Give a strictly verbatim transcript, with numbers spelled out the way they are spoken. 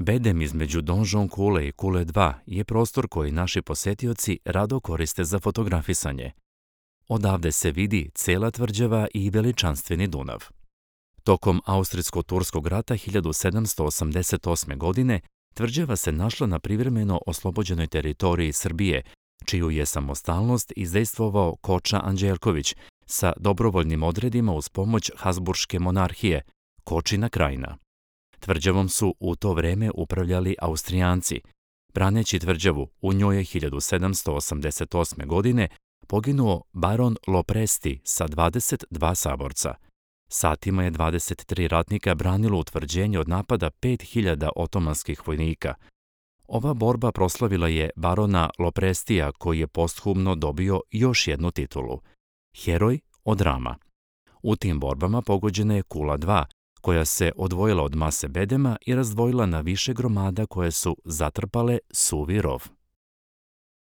Bedem između Donžon kule i Kule dva je prostor koji naši posetioci rado koriste za fotografisanje. Odavde se vidi cela tvrđava i veličanstveni Dunav. Tokom Austrijsko-turskog rata hiljadu sedamsto osamdeset osme. godine tvrđava se našla na privremeno oslobođenoj teritoriji Srbije, čiju je samostalnost izdejstvovao Koča Anđelković sa dobrovoljnim odredima uz pomoć Habsburške monarhije, Kočina krajina. Tvrđavom su u to vreme upravljali Austrijanci. Braneći tvrđavu, u njoj je hiljadu sedamsto osamdeset osme. godine poginuo baron Lopresti sa dvadeset dva saborca. Satima je dvadeset tri ratnika branilo utvrđenje od napada pet hiljada otomanskih vojnika. Ova borba proslavila je barona Loprestija, koji je posthumno dobio još jednu titulu – Heroj od Rama. U tim borbama pogođena je Kula dva, koja se odvojila od mase bedema i razdvojila na više gromada koje su zatrpale suvi rov.